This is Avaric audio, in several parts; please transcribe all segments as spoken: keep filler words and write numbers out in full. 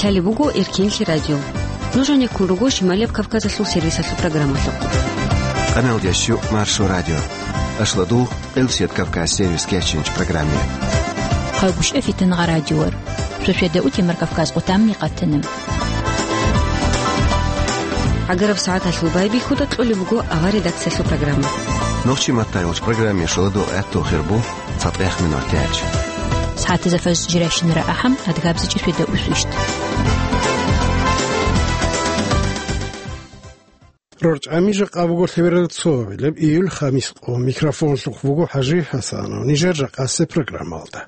Лъалеб буго Эркенлъи радио. Нуж гьанеккун руго Шималияб Кавказалъул сервисалъул программалъухъ. Къаналдящу Маршо радио. Ашладу Элсет Кавказ сервис кечинч программе. Хъагушев Фитнагъа радиор. Сосведа утемар Кавказ къутамни къатана. Агараб сагӀаталъул байбихьуда кьолеб буго авар редакциялъул программа. Нохчи маттайолч программе шоладу гӀатту хирбу цатӀех минор тяч. СагӀатазда фаз жиращинара ахӀам адгабзичӀи сосведа усвищт. РорчӀами жакъа буго лъеберал цо гьабилеб июль хамис къо. Микрофонлъухъ буго ХӀажи ХӀасанов. Нижер жакъасе программалда.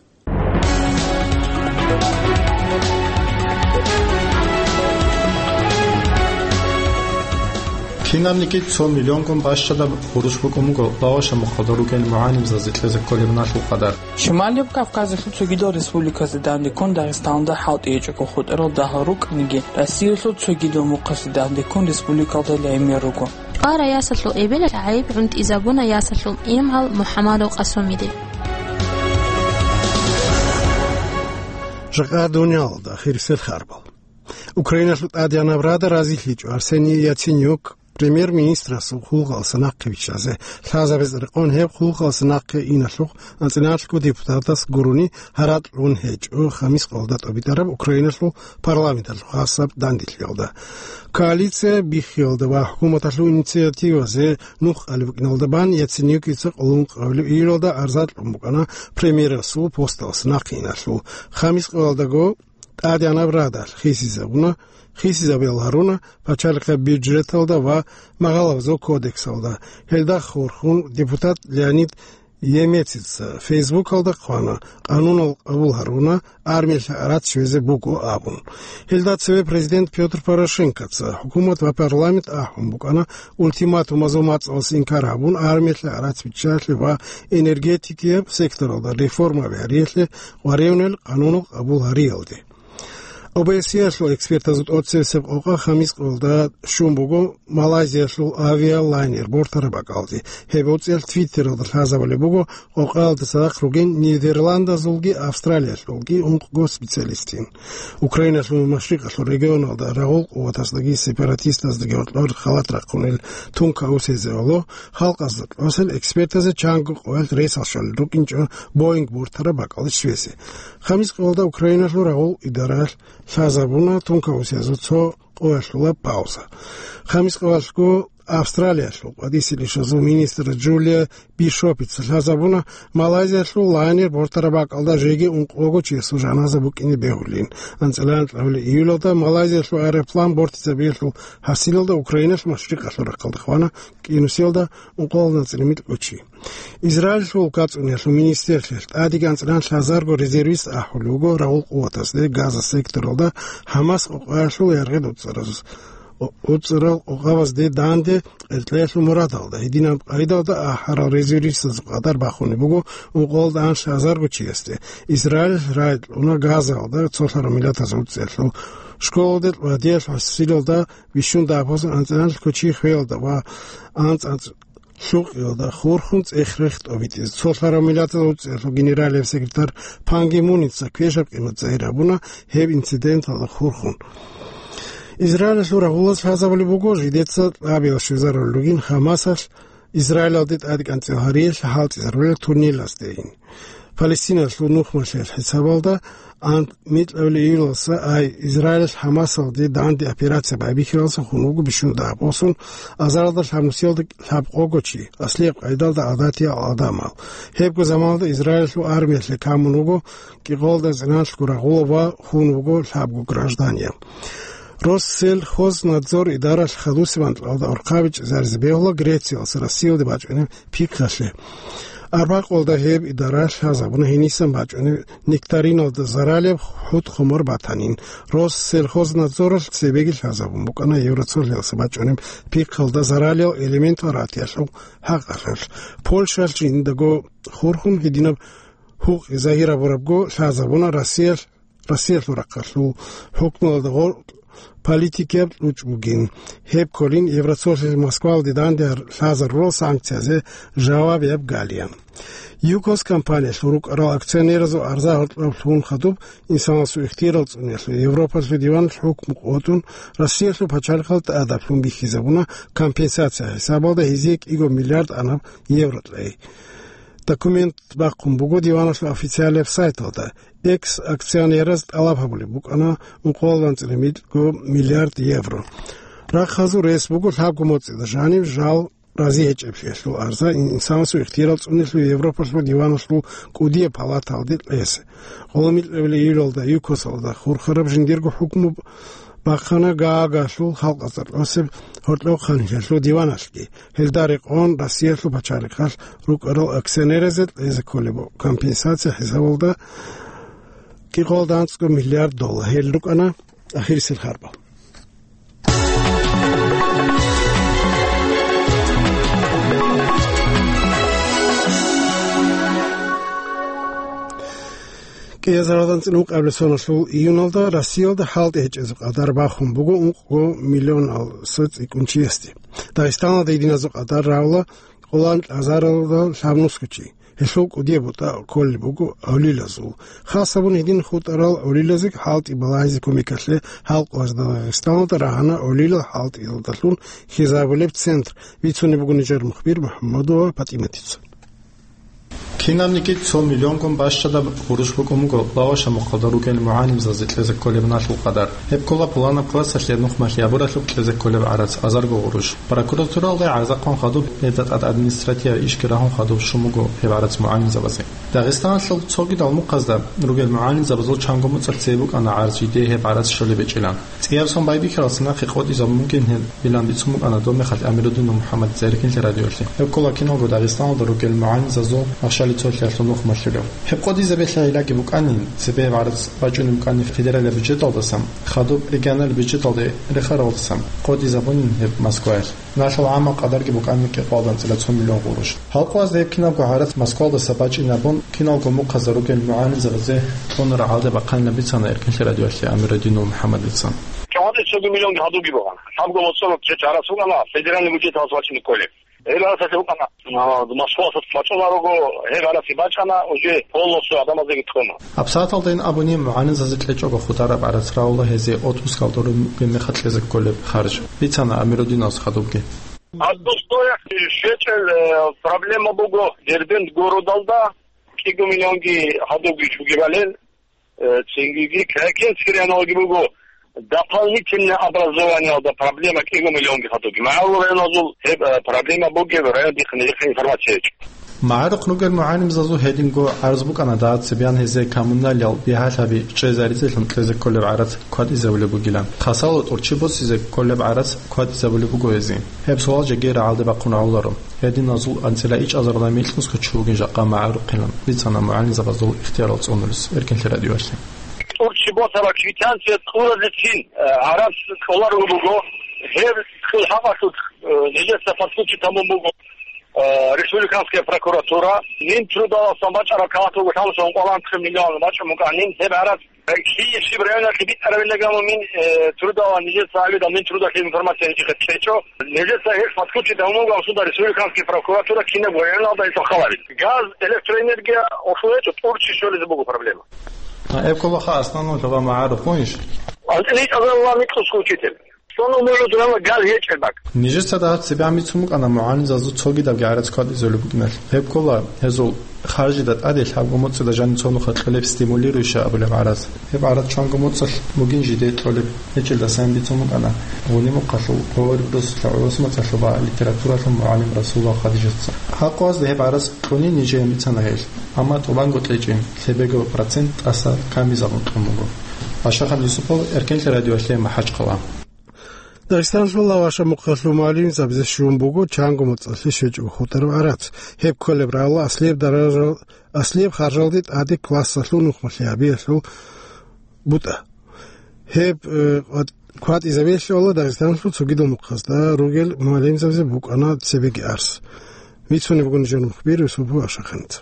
Кинабниги цо миллионгун бащадаб гъурущ букӀун буго лагъаша мухъалда ругел мугӀалимзазе кьезе кколеб налъул къадар. Шималияб Кавказалъул цогидал республиказда дандеккун Дагъистаналда хӀалтӀи гьечӀого хутӀарал дагьал рукӀаниги, Россиялъул цогидал мухъалъе дандеккун республикалда лъимер руго. Къара ясалъул эбелалъ гӀайиб гӀунтӀизабуна ясалъул имгӀал МухӀамадов Къасумиде. Жакъа дуниялалда хирисел харбал. Украиналъул тӀадегӀанаб Рада разилъичӀо Арсений Яценюк премьер-министрасул хъулухъалъа нахъе виччазе. Лъазабиз рекъон гьеб хъулухъалъа нахъе иналъухъ анцӀиналъго депутатас гурони гьаракь гьечӀо хамис къоялда тӀобитӀараб Украиналъул парламенталъул хасаб данделъиялда. Коалиция биххиялда ва хӀукуматалъул инициативазе нух кьалеб букӀиналда бан Яценюкица къоло ункъабилеб июлалда арза кьун букӀана премьерасул посталъа нахъе иналъул. Хамис къоялдаго ТӀадегӀанаб Радалъ хисизабуна, хисизабиялъ гьаруна пачалихъаб бюджеталда ва магъалабазул кодексалда. Гьелда хурхун депутат Леонид Емецеца Фейсбукалда хъвана, къанунал къабул гьаруна, армиялъе гӀарац щвезе буго абун. Гьелда цеве президент Пётр Порошенкоца хӀукумат ва парламент ахӀун букӀана, ультиматумазул мацӀалъ инкар гьабун, армиялъе гӀарац биччалъе ва энергетикияб секторалда реформаби гьариялъе къваригӀунел къанунал къабул гьариялде. ОБСЕ-ялъул экспертазул тӀоцебесеб къокъа хамис къоялда щун буго Малайзиялъул авиалайнер бортараб бакӀалде. Гьеб гьоцӀиялъ Твиттералда лъазабулеб буго къокъаялда цадахъ ругин Нидерландазулги Австралиялъулги ункъго специалистин. Украиналъул машрикъалъул регионалда рагъул къуватаздаги сепаратистаздаги гьоркьор халат рахъунел тункаусезеялъул халкъазда кьосел экспертазе чанго къоялъ ресал щолел рукӀинчӀо Боинг бортараб бакӀалде щвезе. Хамис къоялда Украиналъул рагъул идаралъ лъазабуна тункаусезул цо къоялъула пауза. Хамис къоялъго Австралиялъул къватӀисел ишазул министр Джулия Бишопица лъазабуна Малайзиялъул лайнер бортараб бакӀалда жеги ункъого чиясул жаназа букӀине бегьулин. АнцӀила анкьабилеб июлалда Малайзиялъул аэроплан бортизабиялъул хӀасилалда Украиналъ машрикъалъул рахъалда хвана кӀинусиялда ункъоялда анцӀила микьго чи. Израилалъул кацӀуниялъул министрлъиялъ тӀадеги анцӀила лъазарго резервист ахӀулев вуго рагъул къуватазде Газа секторалда ХӀамас къокъаялъул яргъи уцӀаразул. УцӀарал къокъабазде данде къеркьеялъул мурадалда, гьединаб къайдалда ахӀарал резервистазул къадар бахунеб буго ункъоялда анлъазарго чиясде. Израилалъ рагӀи кьуна Газаялда цолъарал миллатазул уцӀиялъул школалде, ладиялъ, хӀасилалда бищун дагьаб анцӀила кочи хвеялда ва анцӀ-анцӀ лъукъиялда хурхун цӀех-рех тӀобитӀизе. Цолъарал миллатазул уцӀиялъул генералияб секретарь Пан Ги Муница квешаб къимат загьир гьабуна гьеб инциденталда хурхун. Израилалъул рагъулаз лъазабулеб буго, жидеца лъабиял щвезарулел ругин ХӀамасалъ Израилалде тӀадекӀанцӀил гьариялъе хӀалтӀизарулел туннелаздейин. Палестиналъул нухмалъиялъ хӀисабалда, ан-, микьабилеб июлалса ай Израилалъ ХӀамасалде данде операция байбихьиялдаса хун вуго бищун дагьаб босун, азаралда лъабнусиялда лъабкъого чи, аслияб къайдалда гӀадатиял гӀадамал. Гьебго заманалда Израилалъул армиялъе камун вуго кӀикъоялда анцӀила рагъула ва хун вуго лъабго гражданияв. Россельхознадзор идаралъ хадусеб анкьалда орхъабичӀезаризе бегьула Грециялъ Россиялде бачӀунеб пихъалъе. Арбакъоялда гьеб идаралъ лъазабуна гьенисан бачӀунеб нектариналда заралияб хӀут-хумар батанин. Россельхознадзоралъ цебеги лъазабун букӀана Евроцолъиялъа бачӀунеб пихъалда заралиял элементал ратиялъул хӀакъалъулъ. Польшалъ жиндаго хурхун гьединаб гьукъи загьир гьабурабго лъазабуна Россиялъ Россиялъул рахъалъул хӀукмуялда гъор-, политикияб кьучӀ бугин. Гьеб кколин Евросоюзалъ Москвалде данде лъазарурал санкциязе жавабияб галиян. ЮКОС компаниялъул рукӀарал акционеразул арза гьоркьоб лъугьун хадуб, инсанасул ихтияр цӀуниялъул Европалъул диваналъ хӀукму къотӀун, Россиялъул пачалихъалда тӀадаблъун бихьизабуна компенсация хӀисабалда гьезие кӀиго миллиард анаб евро кьей. Документ бахъун буго диваналъул официалияб сайталда. Экс-акционераз тӀалаб гьабулеб букӀана ункъоялда анцӀила микьго миллиард евро. Рахъазул рес буго лъабго моцӀида жанив жал рази гьечӀеблъиялъул арза инсанасул ихтияр цӀуниялъул Европалъул диваналъул кӀудияб палаталде кьезе. Гъоло микьабилеб июлалда ЮКОСалда хурхараб жиндирго хӀукму бахъана Гаагалъул халкъ азар кьосеб гьоркьоб ханлъиялъул диваналъги. Гьелда рекъон Россиялъул пачалихъалъ рукӀарал акционеразе кьезе кколеб компенсация хӀисабалда кӀикъоялда анцӀго миллиард доллар. Гьел рукӀана ахирисел харбал. КӀиазаралда анцӀила ункъабилеб соналъул июналда Россиялда хӀалтӀи гьечӀезул къадар бахун буго ункъго миллионал цӀикӀкӀунчиясде. Дагъистаналда гьединазул къадар равла къоло анкьазаралда лъабнусго чи. Гьелъул кӀудияб бутӀа кколеб буго гӀолилазул. Хас гьабун гьедин хутӀарал гӀолилазе хӀалтӀи балагьизе кумекалъе халкъ важда Дагъистаналда рагьана гӀолилал хӀалтӀиялдалъун хьизабулеб центр. Бицунеб буго нижер мухбир МухӀаммадова ПатӀиматица. Кинабниги цо миллионгун бащадаб гъурущ букӀун буго Лаваша мухъалда ругел мугӀалимзазе кьезе кколеб налъул къадар. Гьеб ккола пуланаб классалъе нухмалъи гьабуралъуб кьезе кколеб гӀарац азарго гъурущ. Прокуратуралде гӀарзахъун хадуб, гьезда тӀад административаб ишги рагьун хадуб щун буго гьеб гӀарац мугӀалимзабазе. Дагъистаналъул цогидал мухъазда ругел мугӀалимзабазул чанго муцӀалъ цебе букӀана гӀарз жидее гьеб гӀарац щолеб гьечӀилан. ЦӀияб сон байбихьаралдаса нахъе къотӀизабун бугин гьебилан бицун букӀана доб мехалъ Амирудинов МухӀаммадица Эркинлъи радиоялъе. Гьеб ккола киналго Дагъистаналда ругел мугӀалимзазул ахшалил цолъиялъул нухмалъулев. Гьеб къотӀизабиялъе гӀиллаги букӀанин, цебе гьеб гӀарац бачӀунеб букӀанин федералияб бюджеталдасан, хадуб регионалияб бюджеталде рехаралдасан къотӀизабунин гьеб Москваялъ. Налъул гӀаммал къадарги букӀана кӀикъоялда анцӀила цо миллион гъурущ. Гьалкъуазда гьеб кинабго гӀарац Москвалдаса бачӀинабун, киналго мухъазда ругел мугӀалимзабазе кьуна рагӀалде бахъанилан бицана Эркинлъи радиоялъе Амирудинов МухӀаммадица. ЧӀвагӀаде цоги миллионги гьадуги бугӀана. Лъабго моцӀалъ чӀарас букӀана федеральный бюджеталъ бачӀине кколеб. Гьеб гӀарацалъе букӀана, а, Москвалъа бачӀунарого, гьеб гӀарац бачӀана, уже полностью гӀадамазеги кьуна. ГьабсагӀаталдайин абуни мугӀалимзазе кьечӀого хутӀараб гӀарац равла гьезие отпускалда ругеб мехалъ кьезе кколеб харж. Бицана Амирудиновас хадубги. Одну стояк щвечӀел, э, проблема буго Дербент городалда кӀиго миллионги гьадуги чугебалел, э, цинги Крякинский районалги буго дополнительное образованиялда проблема кӀиго миллионги гьадуги. МагӀарул районазул гьеб, э, проблема бугеб район дихъ-, дихъ информация гьечӀо. МагӀарухъ ругел мугӀалимзазул гьединго гӀарз букӀана дагьаб цебеян гьезие коммуналиял бигьалъаби чӀезаризелъун кьезе кколеб гӀарац кватӀизабулеб бугилан. Хасало тӀурччи босизе кколеб гӀарац кватӀизабулеб буго гьезие. Гьеб суал жеги рагӀалде бахъун гӀоларо. Гьединазул анцӀила ичӀазарда микьнусго чи вугин жакъа магӀарухъилан, бицана мугӀалимзабазул ихтиярал цӀунулес Эркинлъи радиоялъе. ТӀурччи босараб квитанция кьуразецин, э, гӀарац кьоларого буго. Гьеб кьул гьабалъулъ, э, нижеца подключить гьабун буго, э, республиканская прокуратура. Минтрудаласан бачӀараб кагъат буго лъабцӀун къвалантахъе миллион бачӀун букӀанин. Гьеб гӀарац Киевщиб районалъе битӀарабиллагамун мин, э, трудала нижеца гьавидал мин трудалъе информация нижехъе кьечӀо. Нижеца гьеб подключить гьавун буган суда республиканский прокуратура кинаб районалда гьесухъаларин. Газ, электроэнергия ошлугьечӀо, тӀурччи щолизе буго проблема. А, эб кколаха основной лъугьа магӀарухъ гьунищ? АнцӀила ичӀазарилан микьусго учитель. Цо нумуялъ дурала газ гьечӀеб бакӀ. Нижеца дагьаб цебе бицун букӀана мугӀалимзазул цогидабги гӀарац кватӀизабулеб букӀиналъ. Гьеб ккола гьезул харжида тӀаде лъабго моцӀида жанив цо нухалъ кьолеб стимулирующая абулеб гӀарац. Гьеб гӀарац чанго моцӀалъ бугин жидее кьолеб гьечӀелдасан бицун букӀана Гъуни мухъалъул Гъовариб росулъа гӀурус мацӀалъуба литературалъул мугӀалим Расулова Хадижатца. Гьаб къоязда гьеб гӀарац кьунин нижее бицана гьелъ, амма тӀубанго кьечӀин, лъебего процент тӀаса камизабун кьун буго. Ашахан Юсупов, Эркенлъи радиоялъе, МахӀачхъала. Дагъистаналъул Лаваша мухъалъул мугӀалимзабазе щун буго чанго моцӀалъе щвечӀого хутӀараб гӀарац. Гьеб кколеб рагӀула аслияб даража-, аслияб харжалде тӀаде классалъул нухмалъи гьабиялъул бутӀа. Гьеб, э, кват-, кватӀизабиялъе Дагъистаналъул цогидал мухъазда ругел мугӀалимзабазе букӀана цебеги арц. Бицунеб буго нижер мухбир Юсупов Ашаханица.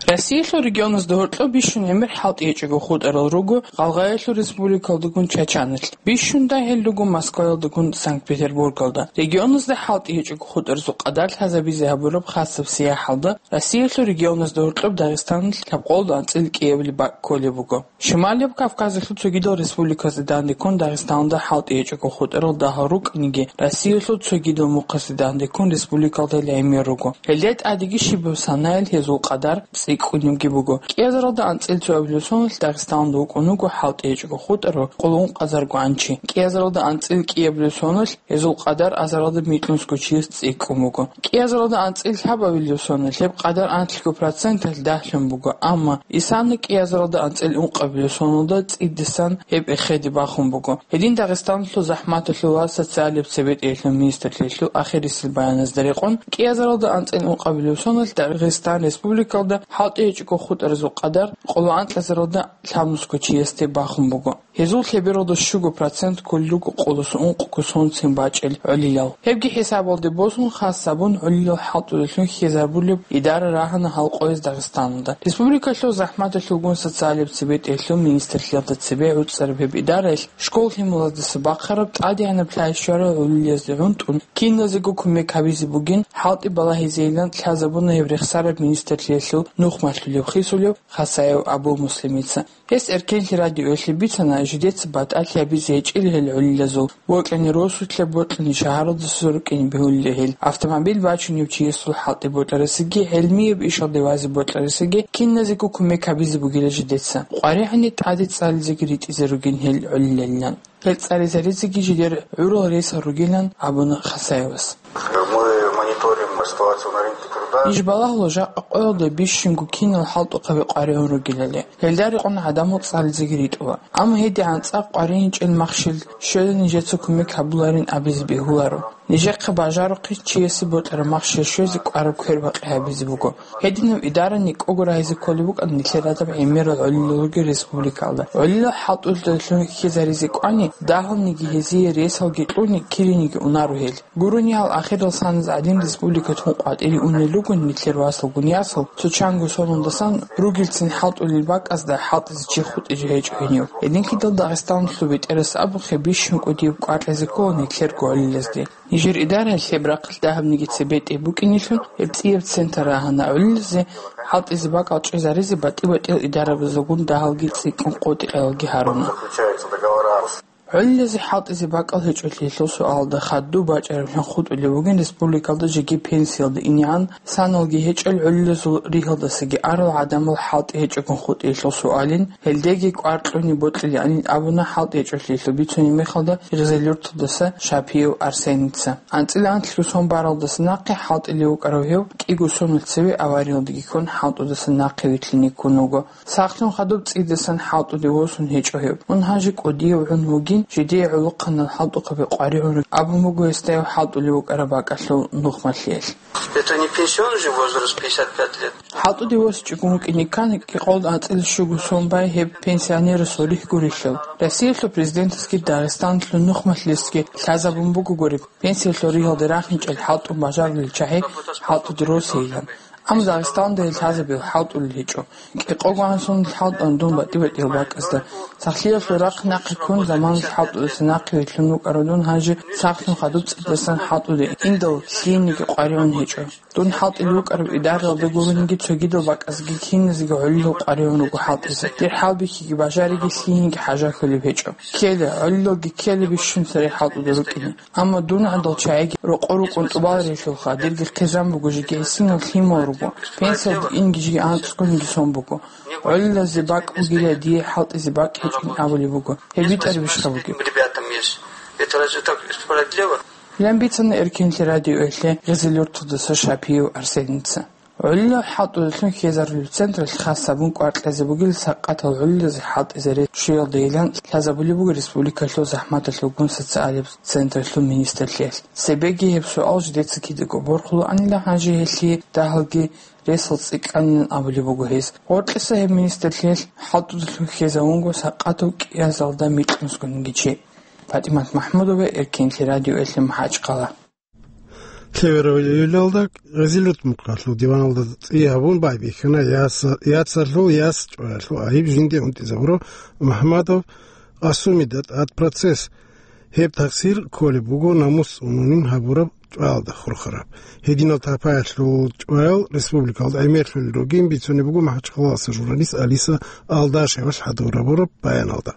Россиялъул регионазда гьоркьоб бищун гӀемер хӀалтӀи гьечӀого хутӀарал руго Гъалгъаялъул республикалдагун Чачаналъ, бищунда гьел руго Москваялдагун Санкт-Петербургалда. Регионазда хӀалтӀи гьечӀого хутӀаразул къадар лъазабизе гьабураб хасаб сияхӀалда Россиялъул регионазда гьоркьоб Дагъистаналъ лъабкъолда анцӀил кӀиабилеб бакӀ кколеб буго. Шималияб Кавказалъул цогидал республиказда дандеккун Дагъистаналда хӀалтӀи гьечӀого хутӀарал дагьал рукӀаниги, Россиялъул цогидал мухъазда дандеккун республикалда гӀемер руго. Гьелда тӀадеги щибаб санаялъ гьезул къадар цӀикӀкӀунебги буго. КӀиазаралда анцӀил цоабилеб соналъ Дагъистаналда вукӀун вуго хӀалтӀи гьечӀого хутӀарав къоло ункъазарго гӀанчи. КӀиазаралда анцӀил кӀиабилеб соналъ гьезул къадар азаралда микьнусго чияс цӀикӀкӀун буго. КӀиазаралда анцӀил лъабабилеб соналъ гьеб къадар анлъго проценталъ дагьлъун буго, амма исана кӀиазаралда анцӀил ункъабилеб соналда цӀидасан гьеб эхеде бахун буго. Гьедин Дагъистаналъул захӀматалъул ва социалияб цебетӀеялъул министрлъиялъул ахирисел баяназда рекъон, кӀиазаралда анцӀил ункъабилеб соналъ Дагъистан республикалда хӀалтӀи гьечӀого хутӀаразул къадар къоло анкьазаралда лъабнусго чиясде бахун буго. Гьезул лъебералда щуго процент кколел руго къолосо ункъго сонцин бачӀел гӀолилал. Гьебги хӀисабалде босун, хас гьабун, гӀолилал хӀалтӀулелъун хьезарбулеб идара рагьана гьал къояз Дагъистаналда. Республикалъул захӀматалъулгун социалияб цебетӀеялъул министрлъиялда цебе гӀуцӀараб гьеб идараялъ школ-лъималаздаса бахъараб тӀадегӀанаб лъай щварал гӀолилазде гӀунтӀун, киназего кумек гьабизе бугин хӀалтӀи балагьизейилан лъазабуна гьеб рехсараб министрлъиялъул нухмалъулеб хисулев Хасаев Абу-Муслимица. Гьес Эркенлъи радиоялъе бицана жидеца батӀалъи гьабизе гьечӀел гьел гӀолилазул, бокьани росулъа, бокьани шагьаралдаса рукӀине бегьулел гьел, автомобиль бачунев чиясул хӀалтӀи бокьарасеги, гӀелмияб ишалде вазе бокьарасеги киназего кумек гьабизе бугила жидеца. КъваригӀани тӀаде цӀализеги ритӀизе ругин гьел гӀолилалилан. Гьел цӀализаризеги жидер гӀурал ресал ругилан абуна Хасаевас. Мы мониторим ситуацию на рынке труда. Иш балагьула жакъа къоялда бищунго кинал хӀалтӀухъаби къваригӀун ругелали. Гьелда рекъон гӀадамал цӀализеги ритӀула. Амма гьедигӀан цӀакъ къваригӀинчӀел махщел щвела нижеца кумек гьабуларин абизе бегьуларо. Нижехъе бажарухъе чиясе бокьараб махщел щвезе кӀвараб квербакъи гьабизе буго. Гьединаб идара никӀого рагьизе кколеб букӀана нилъер гӀадаб гӀемерал гӀолилал ругел республикалда. ГӀолилал хӀалтӀулелъун хьизаризе кӀвани, дагьалниги гьезие ресалги кьуни, кириниги унаро гьел. Гурони гьал ахирал саназ гӀадин республикалъун къватӀире унел ругони нилъер васалгун ясал, цо чанго соналдасан ругелцин хӀалтӀулел бакӀазда хӀалтӀизе чи хутӀизе гьечӀо гьенив. Гьединлъидал Дагъистаналъул бетӀерас абухъе бищун кӀудияб кӀвар кьезе ккола нилъерго гӀолилазде. Нижер идараялъ гьеб рахъалъ дагьабниги цебетӀе букӀинелъун, гьеб цӀияб центр рагьана гӀолилазе хӀалтӀизе бакӀал чӀезаризе батӀи-батӀиял идарабазулгун дагьалги цӀикӀкӀун къотӀи-къелалги гьаруна. ГӀолилазе хӀалтӀизе бакӀал гьечӀолъиялъул суалда хадув бачӀараблъун хутӀулеб бугин республикалда жеги пенсиялда инегӀан саналги гьечӀел гӀолилазул ригьалдасаги арал гӀадамал хӀалтӀи гьечӀогун хутӀиялъул суалин, гьелдеги кӀвар кьуни бокьилаанин абуна хӀалтӀи гьечӀолъиялъул бицунеб мехалда Гъизил-Юрталдаса Шапиев Арсеница. АнцӀила анлъго сон баралдаса нахъе хӀалтӀулев вукӀарав гьев кӀиго соналъ цеве авариялдаги ккун хӀалтӀудаса нахъе вилълъине ккун вуго. Сахлъун хадуб цӀидасан хӀалтӀуде восун гьечӀо гьев. Мун гьанже кӀудияв гӀун вугин, жидее гӀолохъанал хӀалтӀухъаби къваригӀун абун буго гьесда гьев хӀалтӀулев вукӀараб бакӀалъул нухмалъиялъ. Это не пенсионный же возраст, пятьдесят пять лет. ХӀалтӀуде восичӀогун вукӀине ккани, кӀикъоялда анцӀила щуго сон бай гьеб пенсионерасул рихь гурелъул. Россиялъул президентасги Дагъистаналъул нухмалъиялъги лъазабун бугогури, пенсиялъул ригьалде рахинчӀел хӀалтӀун бажарулел чагӀи хӀалтӀуде росейилан. Амма Дагъистаналда гьел лъазабиялъ хӀалтӀулел гьечӀо. КӀикъого гӀан соналъ хӀалтӀана дун батӀи-батӀиял бакӀазда. Сахлъиялъул рахъ нахъе ккун, заманалъ хӀалтӀудаса нахъе вилълъун вукӀарав дун гьанже сахлъун хадуб цӀидасан хӀалтӀуде индал лъиениги къваригӀун гьечӀо. Дун хӀалтӀулев вукӀараб идараялда гурониги цогидал бакӀазги киназеги гӀолилал къваригӀун руго хӀалтӀизе. Дир хӀалбихьиги бажариги лъиениги хӀажалъулеб гьечӀо. Ккела, гӀолилалги ккела бищун цере хӀалтӀуде рукӀине. Амма дун гӀадал чагӀиги рокъо-рокъон тӀубаларелъулха, дирги хъизан буго, жеги гӀисинал лъимал руго. Пенсиялда инги жеги анцӀгониги сон буго. ГӀолилазе бакӀ бугила, дие хӀалтӀизе бакӀ гьечӀин абулеб буго. Гьеб битӀарабищха бугеб? Ребятам есть. Это разве так справедливо? Гьелан бицана Эркенлъи радиоялъе Гъизил-Юрталдаса Шапиев Арсеница. ГӀолилал хӀалтӀулелъун хьезарулеб централъ хас гьабун кӀвар кьезе бугел сакъатал гӀолилазе хӀалтӀизаре щвеялдайилан лъазабулеб буго республикалъул захӀматалъулгун социалияб централъул министрлъиялъ. Цебеги гьеб суал жидеца кидаго борхулаанила, гьанже гьелъие дагьалги ресал цӀикӀкӀанилан абулеб буго гьес. Гъоркьиса гьеб министрлъиялъ хӀалтӀудалъун хьезавунго сакъатав кӀиазалда микьнусгониги чи. ПатӀимат МахӀмудова, Эркенлъи радиоялъе, МахӀачхъала. Лъеверав июлалда Гъезилурт мухъалъул диваналда цӀи гьабун байбихьана яса-, яцалъул яс чӀваялъул гӀайиб жинде унтӀизабурав МухӀамадов Къасумида тӀад процесс. Гьеб такъсир кколеб буго намус цӀунунин гьабураб чӀваялда хурхараб. Гьединал тапаялъул чӀваял республикалда гӀемерлъулел ругин бицунеб буго МахӀачхъалалъа журналист Алиса Алдашевалъ хӀадурабураб баяналда.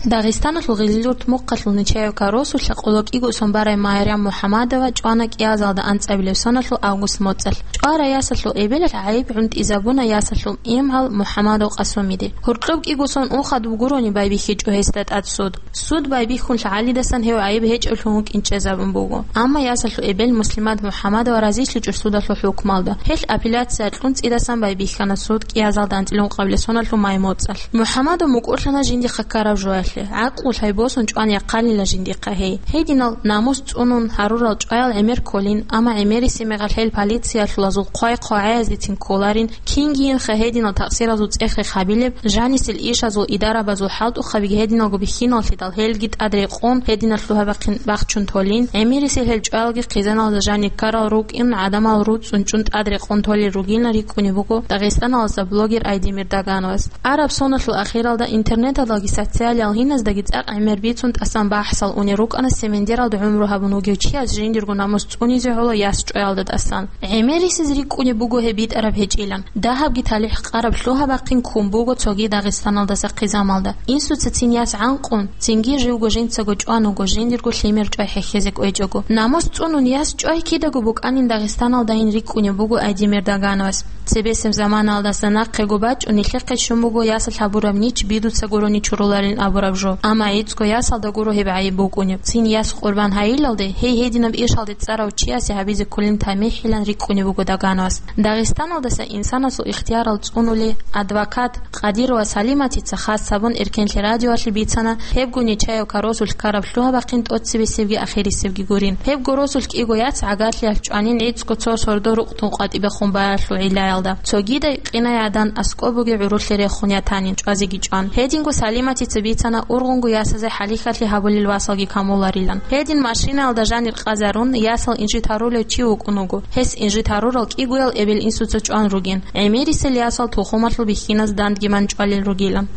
Дагъистаналъул Гъезилурт мухъалъул Нечаевка росулъа къоло кӀиго сон барай Майрам МухӀамадова чӀвана кӀиазалда анцӀабилеб соналъул август моцӀалъ. ЧӀварай ясалъул эбелалъ гӀайиб гӀунтӀизабуна ясалъул имгьал МухӀамадов Къасумиде. Гьоркьоб кӀиго сон унхадуб гурони байбихьичӀо гьесда тӀад суд. Суд байбихьун лъагӀалидасан гьев гӀайиб гьечӀеблъун вукӀин чӀезабун буго. Амма ясалъул эбел Муслимат МухӀамадова разилъичӀо судалъул хӀукмалда. Гьелъ апелляция кьун цӀидасан байбихьана суд кӀиазалда анцӀила ункъабилеб соналъул май моцӀалъ. МухӀамадов мукӀурлъана жиндихъа ккараб жоялъе. ГӀакълу лъай босун чӀван яхъанила жиндихъа гьей. Гьединал намус цӀунун гьарурал чӀваял гӀемер кколин, амма гӀемерисеб мехалъ гьел полициялъулазул хъвай-хъвагӀаязецин кколарин, кингийинха гьединал такъсиразул цӀех-рех гьабилеб, жанисел ишазул идарабазул хӀалтӀухъабиги гьединалго бихьиналлъидал гьелги тӀад рекъон гьединал лъугьа-бахъин бахчун толин, гӀемерисел гьел чӀваялги хъизаналда жанир ккарал рукӀин гӀадамал руцӀцӀун чӀун тӀад рекъон толел ругилан рикӀкӀунеб буго Дагъистаналаса блогер Айдемир Дагановас. Араб соналъул ахиралда интернеталдаги социалиял гьиназдаги цӀакъ гӀемер бицун тӀасан бахӀсал унел рукӀана Семендералда гӀумру гьабун вугев чияс жиндирго намус цӀунизе гӀоло яс чӀваялда тӀасан. ГӀемерисез рикӀкӀунеб буго гьеб битӀараб гьечӀилан. Дагьабги талихӀ къараб лъугьа-бахъин ккун буго цоги Дагъистаналдаса хъизамалда. Инсуца цин яс гӀанкъун, цинги живго жинцаго чӀван вуго жиндирго лъимер чӀвай хӀехьезе кӀвечӀого. Намус цӀунун яс чӀвай кидаго букӀанин Дагъистаналдайин рикӀкӀунеб буго Айдемир Дагановас. Цебесеб заманаялдаса нахъего бачӀун нилъехъе щун буго ясалъ гьабураб нич бидуца гурони чуруларин абураб жо. Амма гӀицӀго ясалда гуро гьеб гӀайиб букӀунеб. Цин яс къурбан гьайилалде, гьей гьединаб ишалде цӀарав чиясе гьабизе кколин тамихӀилан рикӀкӀунеб буго Дагановас. Дагъистаналдаса инсанасул ихтиярал цӀунули, адвокат Къадирова Салиматица хас гьабун Эркенлъи радиоялъе бицана, гьебго Нечаевка росулъ ккараб лъугьа-бахъин тӀоцебесебги ахирисебги гурин. Гьебго росулъ кӀиго яц гӀагарлъиялъ чӀванин гӀицӀго цо сордо рукътун къватӀибехун баялъул гӀиллаялда. Цогидай къинай гӀадан аскӀоб бугеб гӀурулъе рехун ятанин чӀвазеги чӀван. Гьединго Салиматица бицана ургъунго ясазе хӀалихьалъи гьабулел васалги камуларилан. Гьедин машинаялда жанир къазарун, ясал инжит гьарулев чи вукӀун вуго. Гьес инжит гьарурал кӀигоял эбел-инсуца чӀван ругин, гӀемерисел ясал тухумалъул бихьиназ дандги манчӀвалел ругилан.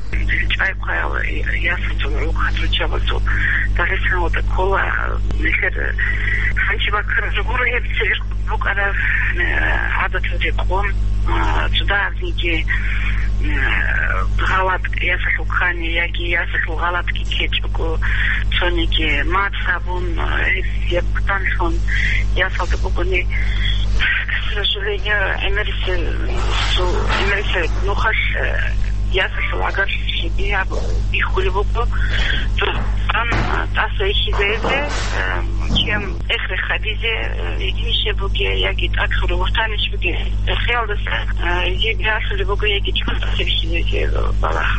ЧӀайхъаял ясазул гӀур хатурчабазул Дагъистаналда ккола, нилъер хӀанчи баккараб гуро гьеб цевер букӀараб, э, гӀадатал рекъон, э, цо дагьабниги, э, гъалатӀ ясалъул ккани яги ясалъул гъалатӀги ккечӀого, цониги мацӀ гьабун, э, гьеб хъанлъун ясалда бугони, к сожалению, гӀемерисел, су-, гӀемерисел нухалъ, э, ясалъул гӀагарлъи бигьаб-, бихьулеб буго. Тан, э, тӀаса ихьизаризе, э, чем эхре хадизе, э, гьединищ буге яги тӀадлъугӀурав ватанищ буге. Эхиялдаса, э, гьеб ясулеб буго яги чӀун тӀаса бихьизаризе, э, балагь.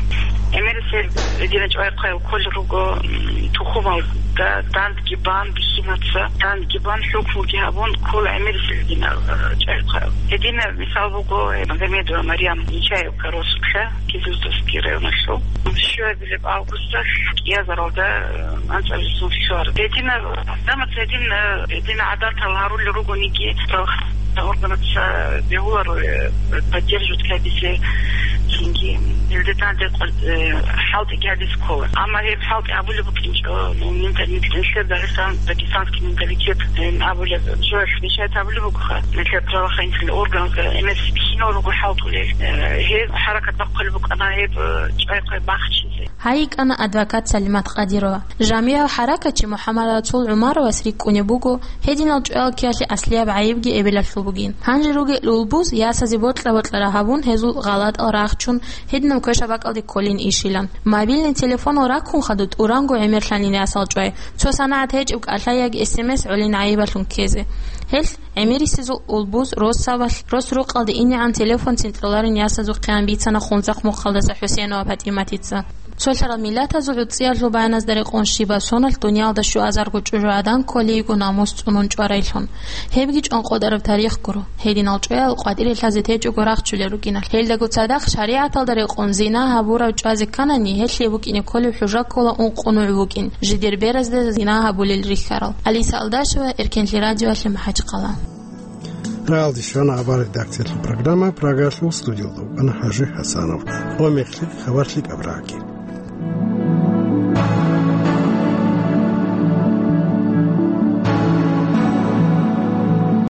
ГӀемерисел гьединал чӀвайхъаял кколел руго, м, тухумалда дандги бан бихьинаца, дандги бан хӀукмуги гьабун ккола гӀемерисел гьединал, э, чӀвайхъаял. Гьединаб мисал буго, э, Магомедова Марьям Нечаевка росулъа, Кизилюртовский районалъул. Щуабилеб августалъ кӀиазаралда, э, анцӀабилеб сон лъугьараб. Гьединаб, гьадамаца гьедин, э, гьедин гӀадатал гьарулел ругониги, органаца бегьуларо, э, поддерживать гьабизе, цинги гьелде данде къо-, э, хӀалтӀиги гьабизе ккола. Амма гьеб хӀалтӀи гьабулеб букӀинчӀо, ну, менталитет, нилъер Дагъистан, дагестанский менталитет, э, абулеб, жоялъ мешать гьабулеб бугоха. Нилъер правоохранительный органазда гӀемерисел бихьинал руго хӀалтӀулел. Э, гьеб хӀаракат бахъулеб букӀана гьеб, э, чӀвайхъай бахчизе. Гьай йикӀана адвокат Салимат Къадирова. Жамигьав хӀаракатчи МухӀаммадрасул ГӀумаровас рикӀкӀунеб буго, гьединал чӀваял ккеялъе аслияб гӀайибги эбелалъул бугин. Гьанже ругел улбуз ясазе бокьа-бокьараб гьабун, гьезул гъалатӀал рахчун, гьединаб квешаб бакӀалде кколин ишилан. Мобильный телефонал раккун хадуб тӀуранго гӀемерлъанин ясал чӀвай, цо санагӀат гьечӀеб кӀалъаягги эс эм эс гӀолин гӀайибалъун ккезе. Гьелъ ГӀемерисезул улбуз росабалъ, рос-рукъалде инегӀан телефон цинтраларин ясазухъе бицана Хунзахъ мухъалдаса ХӀусейнова ПатӀиматица. Цолъарал миллатазул гӀуцӀиялъул баяназда рекъон щибаб соналъ дуниялда щуазарго чӀужугӀадан кколейго намус цӀунун чӀварайлъун. Гьебги чӀван къотӀараб тарих гуро. Гьединал чӀваял къватӀире лъазе течӀого рахчулел рукӀиналъ. Гьелдаго цадахъ шаригӀаталда рекъон зина гьабурав чӀвазе кканани, гьелъие букӀине кколеб хӀужа ккола ункъо нугӀ букӀин, жидер беразда зина гьабулел рихьарал. Алиса Алдашева, Эркенлъи радиоялъе, МахӀачхъала. Рагьалде щвана хабар редакциялъул программа, Прагалъул студиялда вукӀана ХӀажи ХӀасанов. Ва мехлъи хабарлъи кӀабраги.